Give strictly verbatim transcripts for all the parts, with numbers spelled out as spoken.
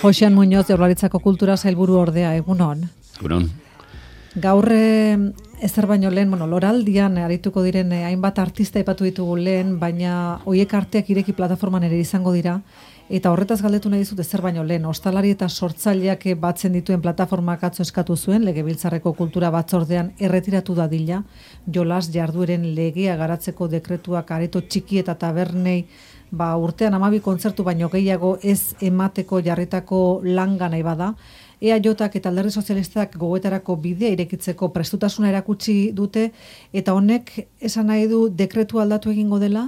Josean Muñoz, Jaurlaritzako Kultura Sailburu ordea, egunon. Egunon. Gaur ezer baino lehen, bueno, loraldian arituko diren hainbat artista aipatu ditugu lehen, baina hoiek arteak ireki plataforman ere izango dira, eta horretaz galdetu nahi dizut ezer baino lehen, ostalari eta sortzaileak batzen dituen plataformak atzo eskatu zuen, Legebiltzarreko Kultura Batzordean erretiratu dadila, jolas jardueren legea garatzeko dekretuak areto txiki eta tabernei, ba, urtean hamabi kontzertu baino gehiago ez emateko jarritako langa nahi bada, E A Jak eta Alderdi Sozialistak gogoetarako bidea irekitzeko prestutasuna erakutsi dute, eta honek esan nahi du dekretu aldatu egingo dela?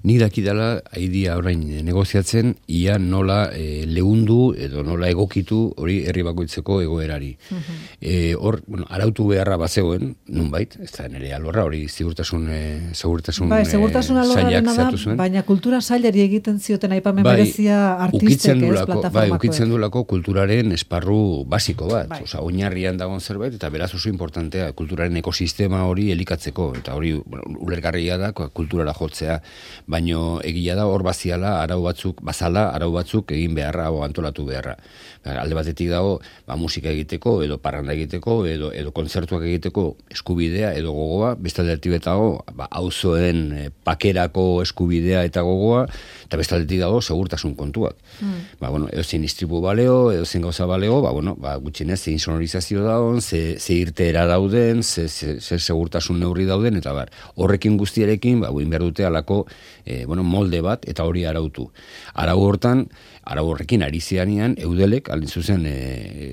Ni dakidala haidia orain negoziatzen, ia nola e, leundu edo nola egokitu hori herri bakoitzeko egoerari. Uh-huh. E, hor, bueno, arautu beharra bazegoen, nunbait, ez da nire alorra, hori segurtasun, e, segurtasun, bai, segurtasun e, sailak zehatu zuen. Baina kultura sailari egiten zioten aipamen bai, berezia artistek ez plataformakoek. Bai, ukitzen dulako kulturaren esparru basiko bat, bai. Osa, oinarrian dagoen zerbait, eta beraz oso importantea kulturaren ekosistema hori elikatzeko, eta hori bueno, ulergarria da kulturara jotzea. Baino egia da hor baziala arau batzuk, bazala arau batzuk egin beharra o antolatu beharra. Alde batetik dago, ba, musika egiteko, edo parranda egiteko, edo, edo kontzertuak egiteko eskubidea edo gogoa, beste aldetik dago, ba, auzoen e, pakerako eskubidea eta gogoa, eta beste aldetik dago segurtasun kontuak. Mm. Ba, bueno, edo zein istripu baleo, edo zein gauza baleo, ba, bueno, ba, gutxinez, zein sonorizazio dagoen, ze, ze irteera dauden, ze, ze, ze segurtasun neurri dauden, eta bar, horrekin guztiarekin, ba, buin behar dute alako E, bueno, molde bat eta hori arautu. Arau hortan, arau horrekin ari zianean, Eudelek, aldin zuzen e,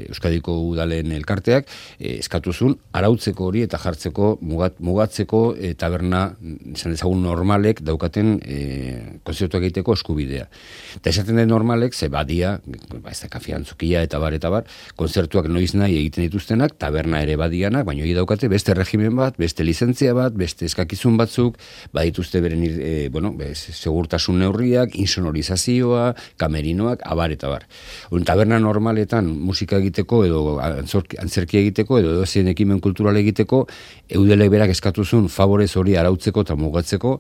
Euskadiko Udalen elkarteak, e, eskatuzun arautzeko hori eta jartzeko, mugat, mugatzeko e, taberna, izan dezagun normalek daukaten e, konzertuak egiteko eskubidea. Eta esaten den normalek, ze badia, ba, ez da kafiantzukia eta bar, eta bar, konzertuak noiz nahi egiten dituztenak, taberna ere badianak, baina hori daukate beste regimen bat, beste lizentzia bat, beste eskakizun batzuk, badituzte beren, e, bueno, segurtasun neurriak, insonorizazioa, kamerinoak, abar eta bar. Un taberna normaletan musika egiteko edo antzerkia egiteko edo edozein ekimen kultural egiteko, Eudelek berak eskatuzun favorez hori arautzeko eta mugatzeko.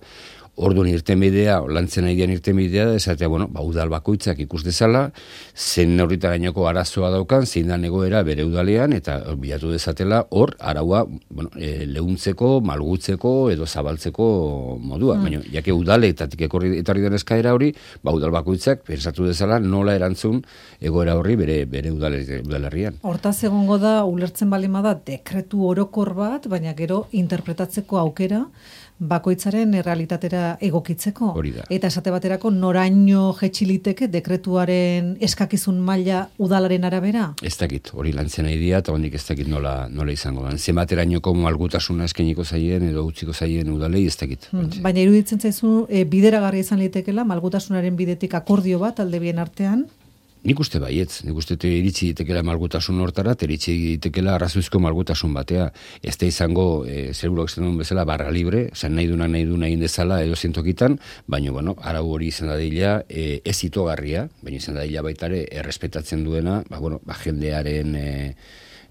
Orduan irtenbidea, lantzen nahi dian irtenbidea, esatea, bueno, ba, udal bakoitzak ikus dezala, zen neurrita gaineko arazoa daukan, zein da egoera bere udalean, eta bilatu dezatela hor, araua bueno, e, leuntzeko, malgutzeko, edo zabaltzeko modua. Mm. Baina, jake udaletatik ekorri etorri den eskaera hori, ba, udal bakoitzak pensatu dezala nola erantzun egoera horri bere, bere udalerrian. Hortaz egongo da, ulertzen balima da, dekretu orokor bat, baina gero interpretatzeko aukera, bakoitzaren errealitatera egokitzeko. Eta esate baterako noraino jetxiliteke dekretuaren eskakizun maila udalaren arabera? Ez dakit, hori lantzen nahi dira, eta hondik ez dakit nola, nola izango da. Zenbaterainoko malgutasuna eskeniko zaien edo utziko zaien udalei ez dakit. Hmm. Baina iruditzen zaizu, e, bideragarri izan litekela, malgutasunaren bidetik akordio bat alde bien artean? Nik uste baietz, nik uste iritsi ditekela malgutasun hortara, iritsi ditekela arrazoizko malgutasun batea. Ez da izango, e, zerbulok zen duen bezala, barra libre, oza, nahi duna nahi duna egin dezala edo zentokitan, baina, bueno, arau hori izan dadila e, ez itogarria, baina izan dadila baitare errespetatzen duena, ba, bueno, ba, jendearen e,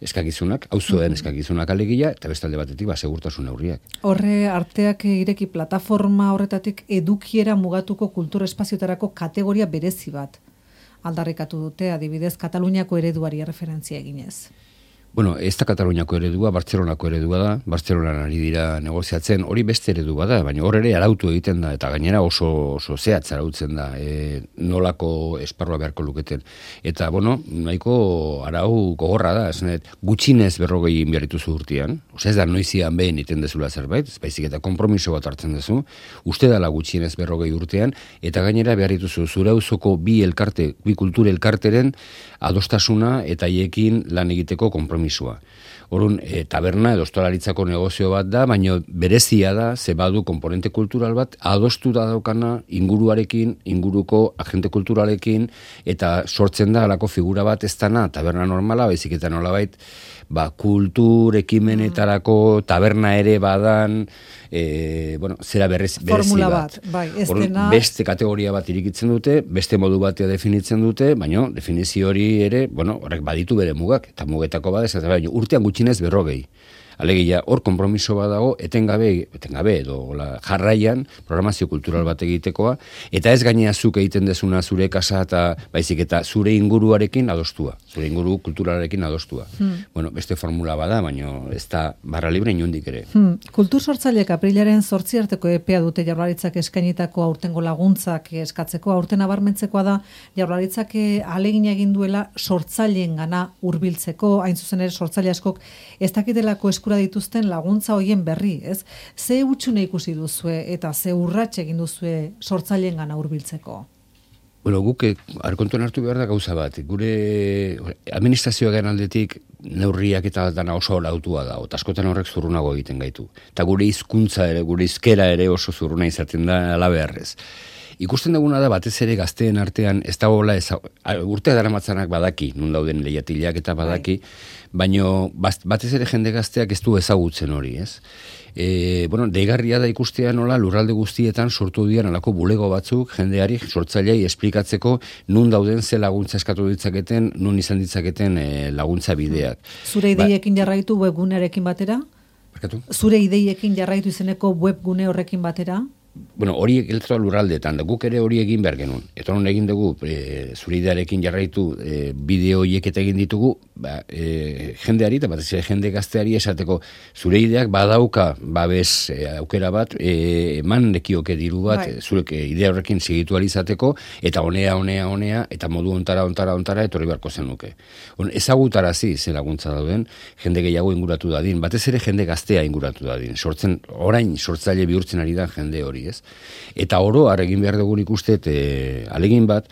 eskakizunak, auzoen eskakizunak alegia, eta bestalde batetik, ba, segurtasun neurriak. Horre, arteak ireki plataforma horretatik edukiera mugatuko kultura espazioetarako kategoria berezi bat aldarrikatu dute, adibidez, Kataluniako ereduari referentzia eginez. Bueno, ez da Kataluniako eredua, Bartzelonako eredua da, Bartzelonan ari dira negoziatzen, hori beste eredu bada, baina hor ere arautu egiten da, eta gainera oso, oso zehatz arautzen da, e, nolako esparrua beharko luketen. Eta, bueno, nahiko arau gogorra da, esnet, gutxinez berrogei inbiarrituzu urtean, oza ez da noizian behin iten dezula zerbait, ez baizik eta konpromiso bat hartzen dezu, uste dala gutxinez berrogei urtean, eta gainera beharrituzu zure auzoko bi elkarte, bi kultur elkarteren adostasuna eta haiekin lan egiteko konpromisua. Orrun, e, taberna edo ostalaritzako negozio bat da, baina berezia da, ze badu komponente kultural bat, adostu da daukana inguruarekin, inguruko agente kulturalekin, eta sortzen da alako figura bat ez dana, taberna normala, baizik eta nolabait, ba, kultur ekimenetarako taberna ere badan, e, bueno, zera berrez, berezi formula bat. bat, bai, ez Orrun, dena... Beste kategoria bat irikitzen dute, beste modu batea definitzen dute, baina definizio hori ere, bueno, horrek baditu bere mugak, eta mugetako bat ez, baina urtean gutxinez berrogei. Alegia, hor konpromiso bat dago, etengabe, etengabe edo la, jarraian programazio kultural bat egitekoa, eta ez gainea zuk egiten dezuna zure kasa eta baizik eta zure inguruarekin adostua, zure inguru kulturalarekin adostua. Hmm. Bueno, beste formula bada, baina ez da barra libre inundik ere. Hmm. Kultur sortzaileek aprilaren zortzi arteko epea dute Jaurlaritzak eskainitako aurtengo laguntzak eskatzeko, aurten abarmentzekoa da Jaurlaritzak ahalegina egin duela sortzaileen gana hurbiltzeko, hain zuzen ere sortzaile askok ez dakitelako eskura dituzten laguntza hoien berri, ez? Ze hutsune ikusi duzue eta ze urrats egin duzue sortzaileen gana hurbiltzeko? Bueno, guk arkontuan hartu behar da gauza bat. Gure administrazioaren aldetik neurriak eta dana oso lautua da, eta askotan horrek zurrunago egiten gaitu. Eta gure hizkuntza ere, gure hizkera ere oso zurruna izaten da alabeharrez. Ikusten duguna da batez ere gazteen artean ez dagoela urtea daramatzanak badaki, nun dauden lehiatileak eta badaki, baino batez ere jende gazteak ez du ezagutzen hori, ez? E, bueno, deigarria da ikustea nola lurralde guztietan sortu dian alako bulego batzuk jendeari sortzailei esplikatzeko nun dauden ze laguntza eskatu ditzaketen, nun izan ditzaketen e, laguntza bideak. Zure ideiekin ba, jarraitu webgunearekin batera? Barkatu? Zure ideiekin jarraitu izeneko webgune horrekin batera? Bueno, hori egiletra lurraldeetan, da guk ere hori egin behar genuen. Eta hori egin dugu, e, zure idearekin jarraitu e, bideo horiek eta egin ditugu, ba, e, jendeari, eta batez ere jende gazteari esateko, zure ideak badauka babes e, aukera bat, e, eman nekioke diru bat, e, zurek e, idea horrekin segitu alizateko, eta honea, honea, honea, eta modu ontara, ontara, ontara, etorri beharko zenuke. On, ezagutarazi ze laguntza dauden, jende gehiago inguratu dadin, batez ere jende gaztea inguratu dadin, sortzen, orain sortzaile bihurtzen ari da jende hori. Ez? Eta oro har egin behar dugun ikustet e, alegin bat,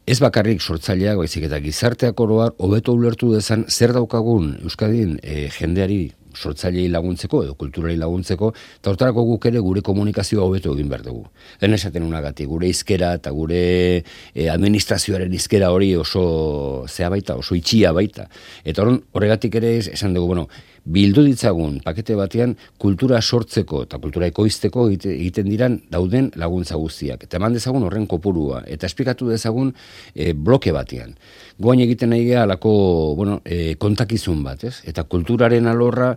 ez bakarrik sortzaileak, baizik eta gizarteak oroar hobeto ulertu dezan zer daukagun Euskadin e, jendeari sortzailei laguntzeko edo kulturari laguntzeko, eta hortarako guk ere gure komunikazioa hobeto egin behar dugu. Den esaten unagatik, gure hizkera eta gure e, administrazioaren hizkera hori oso zea baita, oso itxia baita. Eta horregatik ere esan dugu, bueno, bildu ditzagun pakete batean kultura sortzeko eta kultura ekoizteko egiten diran dauden laguntza guztiak. Eta eman dezagun horren kopurua, eta esplikatu dezagun e, bloke batean. Goain egiten nahi geha alako bueno, e, kontakizun bat, ez? Eta kulturaren alorra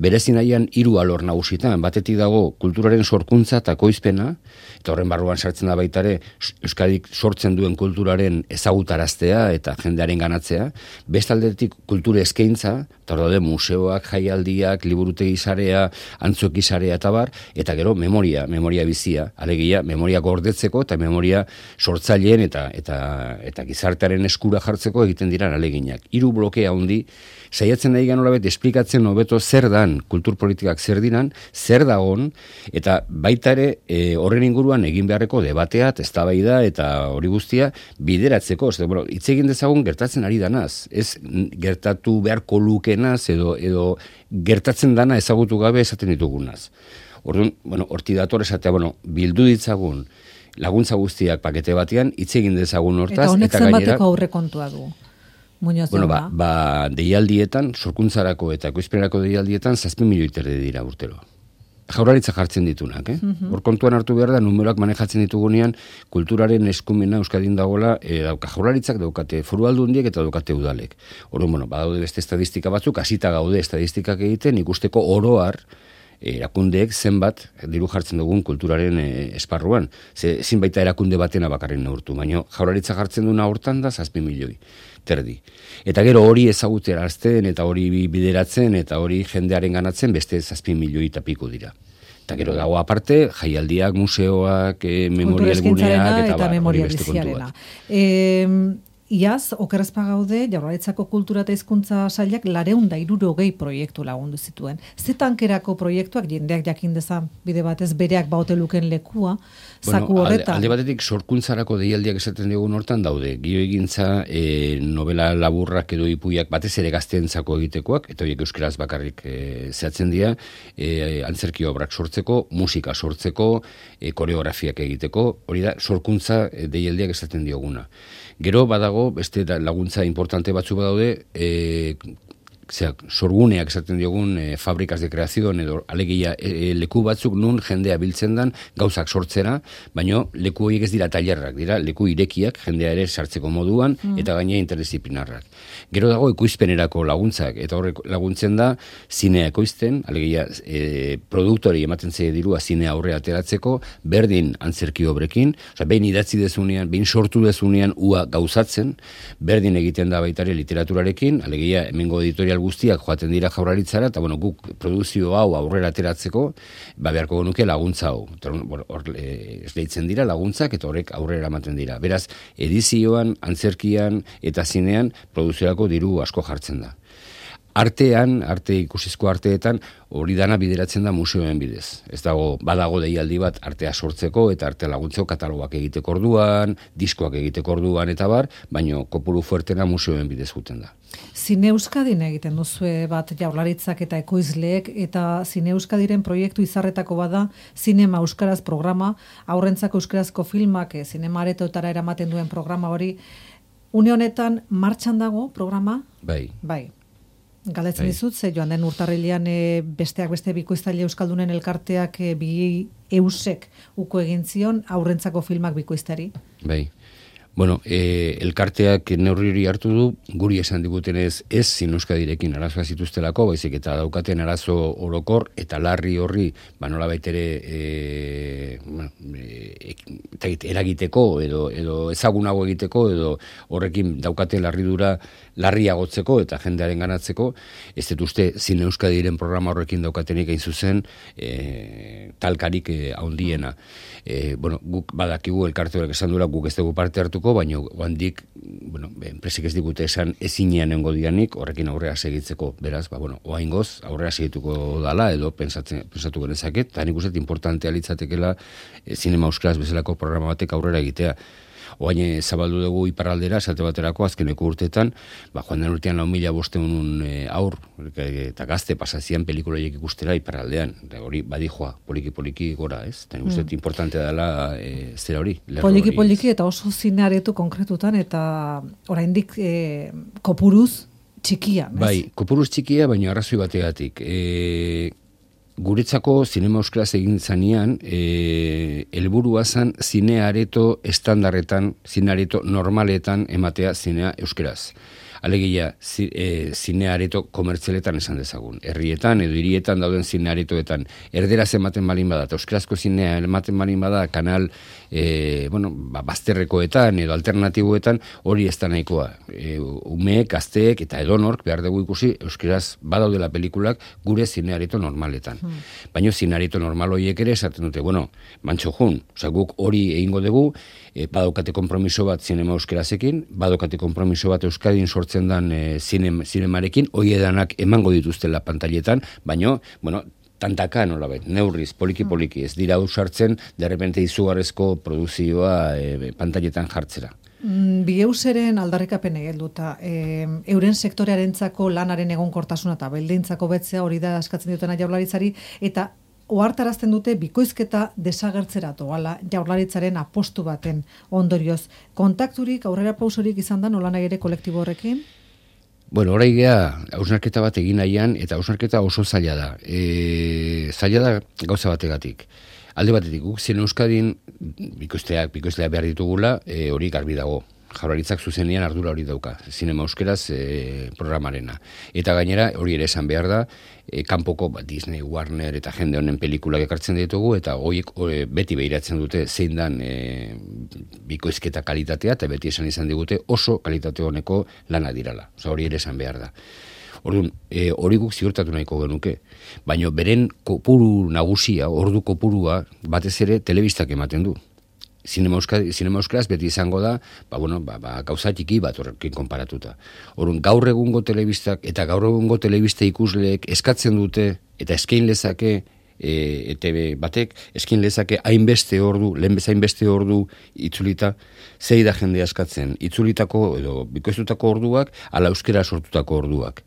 berezi nahian hiru alor nagusitan. Batetik dago kulturaren sorkuntza eta ekoizpena, eta horren barruan sartzen da baitare Euskadik sortzen duen kulturaren ezagutaraztea eta jendearen ganatzea. Bestaldetik kultura eskaintza, eta hor daude museoak, jaialdiak, liburutegi sarea, antzoki sarea eta bar, eta gero memoria, memoria bizia, alegia, memoria gordetzeko eta memoria sortzaileen eta eta eta gizartearen eskura jartzeko egiten dira aleginak. Hiru blokea handi saiatzen nahi gan horabet esplikatzen hobeto zer dan kulturpolitikak zer diran, zer dagon, eta baita ere e, horren inguruan egin beharreko debatea, eztabaida eta hori guztia bideratzeko, ez bueno, hitz egin dezagun gertatzen ari danaz, ez gertatu beharko lukenaz edo edo gertatzen dana ezagutu gabe esaten ditugunaz. Orduan, bueno, horti dator esatea, bueno, bildu ditzagun laguntza guztiak pakete batean, hitz egin dezagun hortaz, eta honek eta gainera zenbateko aurrekontua du. Muñoz bueno, ba, ba, deialdietan, sorkuntzarako eta ekoizpenerako deialdietan zazpi milioi terdi dira urtero. Jaurlaritza jartzen ditunak, eh? Uh-huh. Hor kontuan hartu behar da, numeroak manejatzen ditugunean, kulturaren eskumena Euskadin dagoela, e, dauka jaurlaritzak, daukate foru aldundiek eta daukate udalek. Orduan, bueno, badaude beste estadistika batzuk, hasita gaude estadistikak egiten, ikusteko oroar, erakundeek zenbat diru jartzen dugun kulturaren e, esparruan. Ze, ezin baita erakunde batena bakarren neurtu, baina jaurlaritza jartzen duna hortan da zazpi milioi terdi. Eta gero hori ezagutzerazten eta hori bideratzen eta hori jendearen ganatzen beste zazpi milioi eta piko dira. Eta gero dago aparte, jaialdiak, museoak, e, memorialguneak eta, eta memoria biziarena. Iaz, okerrezpa gaude, Jaurlaritzako kultura eta hizkuntza sailak lareun da hirurogei proiektu lagundu zituen. Ze tankerako proiektuak jendeak jakin dezan bide batez bereak baute luken lekua, zaku bueno, horretan. Alde, alde batetik sorkuntzarako deialdiak esaten dugun hortan daude. Gio egintza e, novela laburrak edo ipuiak batez ere gazteentzako egitekoak, eta horiek euskeraz bakarrik e, zehatzen dira, e, antzerki obrak sortzeko, musika sortzeko, e, koreografiak egiteko, hori da sorkuntza e, deialdiak esaten dioguna. Gero badago, beste laguntza importante batzu badaude, e, zeak, sorguneak esaten diogun e, fabrikas de kreazioan edo alegia e, leku batzuk nun jendea biltzen dan gauzak sortzera, baino leku horiek ez dira tailerrak, dira leku irekiak jendea ere sartzeko moduan mm. eta gainera interdisciplinarrak. Gero dago ekoizpenerako laguntzak, eta horrek laguntzen da zinea ekoizten, alegia e, produktori ematen zaie dirua zinea aurre ateratzeko, berdin antzerki obrekin, osea, behin idatzi dezunean, behin sortu dezunean ua gauzatzen, berdin egiten da baitare literaturarekin, alegia hemengo editorial guztiak joaten dira Jaurlaritzara, eta bueno, guk produzio hau aurrera ateratzeko, ba beharko genuke laguntza hau. Hor bueno, e, esleitzen dira laguntzak eta horrek aurrera ematen dira. Beraz, edizioan, antzerkian eta zinean produziorako diru asko jartzen da. Artean, arte ikusizko arteetan, hori dana bideratzen da museoen bidez. Ez dago, badago deialdi bat artea sortzeko eta arte laguntzeko katalogak egiteko orduan, diskoak egiteko orduan eta bar, baino kopuru fuertena museoen bidez guten da. Zine Euskadin egiten duzue bat Jaurlaritzak eta ekoizleek, eta Zine Euskadiren proiektu izarretako bada Zinema Euskaraz programa, aurrentzako euskarazko filmak zinema aretoetara eramaten duen programa hori. Une honetan martxan dago programa? Bai. Bai. Galetzen dizut, ze joan den urtarrilean e, besteak beste bikoiztaile euskaldunen elkarteak e, bi eusek uko egin zion aurrentzako filmak bikoiztari. Bai. Bueno, e, elkarteak neurri hori hartu du, guri esan digutenez ez Zine Euskadirekin arazoa zituztelako, baizik eta daukaten arazo orokor eta larri horri, ba nola baitere e, bueno, e, eragiteko edo, edo ezagunago egiteko edo horrekin daukate larridura larriagotzeko eta jendearen ganatzeko, ez dut uste Zine Euskadiren programa horrekin daukatenik hain zuzen e, talkarik e, haundiena. E, bueno, guk badakigu elkarte horrek esan dura, guk ez dugu parte hartuko, baina handik, bueno, enpresik ez digute esan ezinean nengo dianik, horrekin aurrea segitzeko, beraz, ba, bueno, oaingoz aurrea segituko dala, edo pensatzen, pensatu genezaket, eta nik uste importantea litzatekela e, Zinema Euskaraz bezalako programa batek aurrera egitea. Oain zabaldu dugu iparraldera, esate baterako, azkeneko urteetan, ba, joan den urtean lau mila bosteun e, aur, eta gazte pasazian pelikuloiek ikustera iparraldean. Hori badijoa, poliki-poliki gora, ez? Eta nik uste mm. importantea dela e, zera hori. Poliki-poliki eta oso zine aretu konkretutan, eta oraindik e, kopuruz txikia, ez? Bai, kopuruz txikia, baina arrazoi bategatik. E, Guretzako Zinema Euskaraz egin zanean, e, helburua zan zine areto estandarretan, zine areto normaletan ematea zinea euskaraz. Alegia, zi, e, zine areto komertzialetan esan dezagun. Herrietan edo hirietan dauden zine aretoetan erderaz ematen balin bada, eta euskarazko zinea ematen balin bada kanal e, bueno, ba, bazterrekoetan edo alternatiboetan hori ez da nahikoa. E, umeek, gazteek eta edonork behar dugu ikusi euskaraz badaudela pelikulak gure zine areto normaletan. Hmm. Baina zine areto normal horiek ere esaten dute, bueno, mantxo jun, oza, guk hori egingo dugu, e, badaukate konpromiso bat zinema euskarazekin, badaukate konpromiso bat Euskadin sortzen dan e, zinem, zinemarekin, hoi edanak emango dituztela pantailetan, baina, bueno, tantaka nolabait, neurriz, poliki-poliki, ez dira usartzen, derrepente izugarrezko produzioa e, pantailetan jartzera. Bigeuseren aldarrikapen egelduta, e, euren sektorearentzako lanaren egonkortasuna eta beldintzako betzea hori da askatzen dutena Jaurlaritzari, eta ohartarazten dute bikoizketa desagertzeratu ala Jaurlaritzaren apostu baten ondorioz. Kontakturik, aurrera pausorik izan da nola nahi ere kolektibo horrekin? Bueno, orai gea, hausnarketa bat egin nahian, eta hausnarketa oso zaila da. E, zaila da gauza bategatik. Alde batetik, guk Zine Euskadin bikoizteak, bikoizteak behar ditugula, e, hori garbi dago. Jaurlaritzak zuzenean ardura hori dauka, Zinema Euskaraz e, programarena. Eta gainera, hori ere esan behar da, e, kanpoko ba, Disney, Warner eta jende honen pelikulak ekartzen ditugu, eta horiek e, beti behiratzen dute zein dan e, bikoizketa kalitatea, eta beti esan izan digute oso kalitate honeko lana dirala. Osa, hori ere esan behar da. Orduan, e, hori guk ziurtatu nahiko genuke. Baina beren kopuru nagusia, ordu kopurua, batez ere telebistak ematen du. Zinema Euskaraz beti izango da, ba, bueno, ba, ba, gauza txiki bat horrekin konparatuta. Orduan, gaur egungo telebistak eta gaur egungo telebista ikusleek eskatzen dute eta eskain lezake e, E T B batek, eskin lezake hainbeste ordu, lehen bezain hainbeste ordu itzulita, zei da jende askatzen, itzulitako edo bikoiztutako orduak, ala euskera sortutako orduak.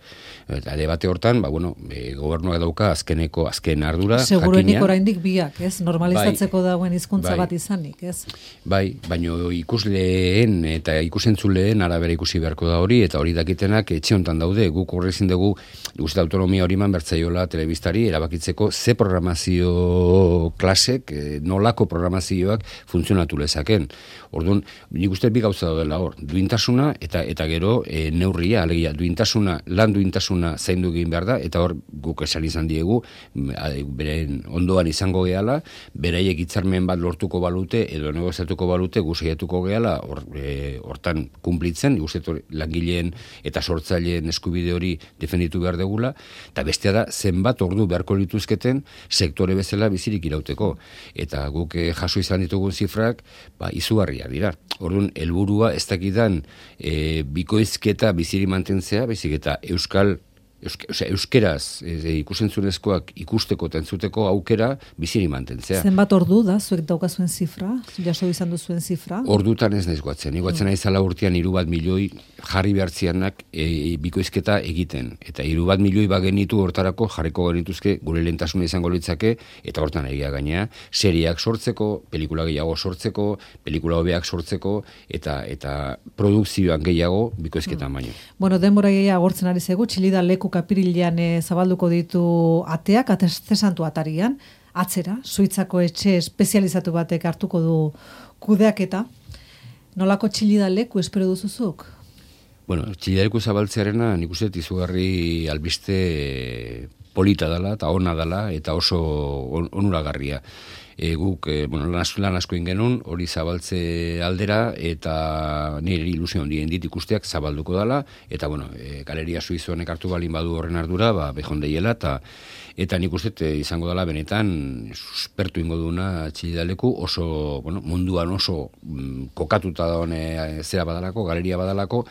Eta ale bate hortan, ba, bueno, e, gobernuak dauka azkeneko, azken ardura, segurenik oraindik biak, ez? Normalizatzeko bai, dagoen hizkuntza bai, bat izanik, ez? Bai, baino ikusleen eta ikusentzuleen arabera ikusi beharko da hori, eta hori dakitenak etxe hontan daude, guk horrezin dugu, guzti autonomia hori man bertzaiola telebistari, erabakitzeko ze programazio klasek, nolako programazioak funtzionatu lezaken. Orduan, nik uste bi gauza daudela hor, duintasuna eta eta gero e, neurria, alegia, duintasuna, lan duintasuna zaindu egin behar da, eta hor guk esan izan diegu, beren ondoan izango gehala, beraiek hitzarmen bat lortuko balute, edo negoziatuko balute, gu saiatuko gehala, hor, e, hortan kumplitzen, guztetu langileen eta sortzaileen eskubide hori defenditu behar degula, eta bestea da, zenbat ordu beharko lituzketen sektore bezala bizirik irauteko. Eta guk e, jaso izan ditugun zifrak, ba, izugarria dira. Orduan, helburua ez dakidan e, bikoizketa biziri mantentzea, baizik eta euskal Euske, osea, euskeraz e, ikusentzunezkoak ikusteko eta entzuteko aukera biziri mantentzea. Zenbat ordu da, zuek daukazuen zifra? Jaso izan duzuen zifra? Ordutan ez naiz guatzen. Iguatzen mm. aizala urtean hiru bat milioi jarri behartzianak e, bikoizketa egiten. Eta hiru bat milioi bagenitu hortarako jarriko genituzke gure lehentasuna izango litzake, eta hortan egia gainea, seriak sortzeko, pelikula gehiago sortzeko, pelikula hobeak sortzeko, eta eta produkzioan gehiago bikoizketa mm. baino. Bueno, denbora gehiago agortzen ari zegu, Txilida leku kapirilean e, zabalduko ditu ateak, atesantu atarian, atzera, Suitzako etxe espezializatu batek hartuko du kudeaketa. Nolako Txilida leku espero duzuzuk? Bueno, Txilida leku zabaltzearena nik uste izugarri albiste polita dela, eta ona dela, eta oso on, onuragarria. E, guk, e, bueno, lan asko, lan asko ingenun, hori zabaltze aldera, eta nire ilusio handien dit ikusteak zabalduko dela, eta, bueno, e, galeria suizoanek hartu balin badu horren ardura, ba, behondeiela, eta eta nik uste izango dela benetan suspertu ingo duna Txilida leku, oso, bueno, munduan oso mm, kokatuta daune zera badalako, galeria badalako,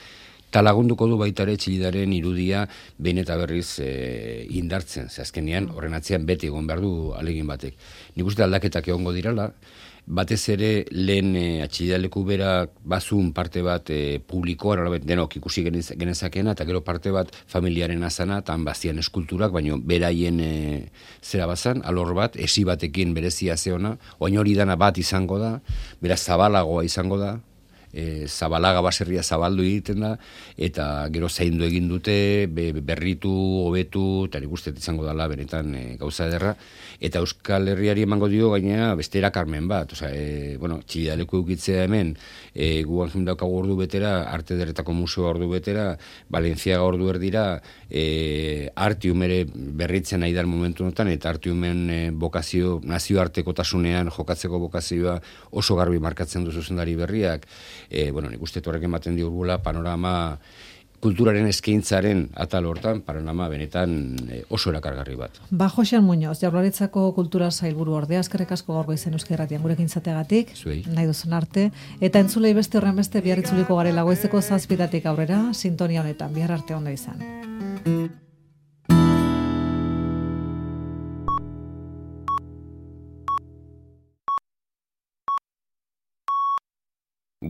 eta lagunduko du baita ere Txilidaren irudia behin eta berriz e, indartzen. Ze azkenean horren atzean beti egon behar du alegin batek. Nik uste aldaketak egongo dirala, batez ere lehen e, Txilida leku bera bazun parte bat e, publikoa, denok ikusi genezakena, eta gero parte bat familiaren azana, eta bazian eskulturak, baino beraien e, zera bazan, alor bat, esi batekin berezia zeona, oain hori dana bat izango da, beraz zabalagoa izango da, E, zabalaga baserria zabaldu egiten da, eta gero zaindu egin dute, be, berritu, hobetu, eta nik uste izango dela benetan e, gauza ederra, eta Euskal Herriari emango dio gainera beste erakarmen bat, osea, e, bueno, Txilida leku eukitzea hemen, e, guan daukagu ordu betera, Arte Ederretako Museoa ordu betera, Valentziaga ordu erdira, e, Artium ere berritzen nahi da momentu honetan, eta Artiumen e, bokazio, nazioartekotasunean jokatzeko bokazioa oso garbi markatzen du zuzendari berriak. E, bueno, nik uste horrek ematen diogula panorama kulturaren eskaintzaren atal hortan, panorama benetan e, oso erakargarri bat. Ba, Joxean Muñoz, Jaurlaritzako kultura sailburu ordea, eskerrik asko gaur goizen Euskal Irratian gurekin izateagatik, nahi duzun arte, eta entzulei beste horren beste bihar itzuliko garela goizeko zazpitatik aurrera, sintonia honetan, bihar arte ondo izan.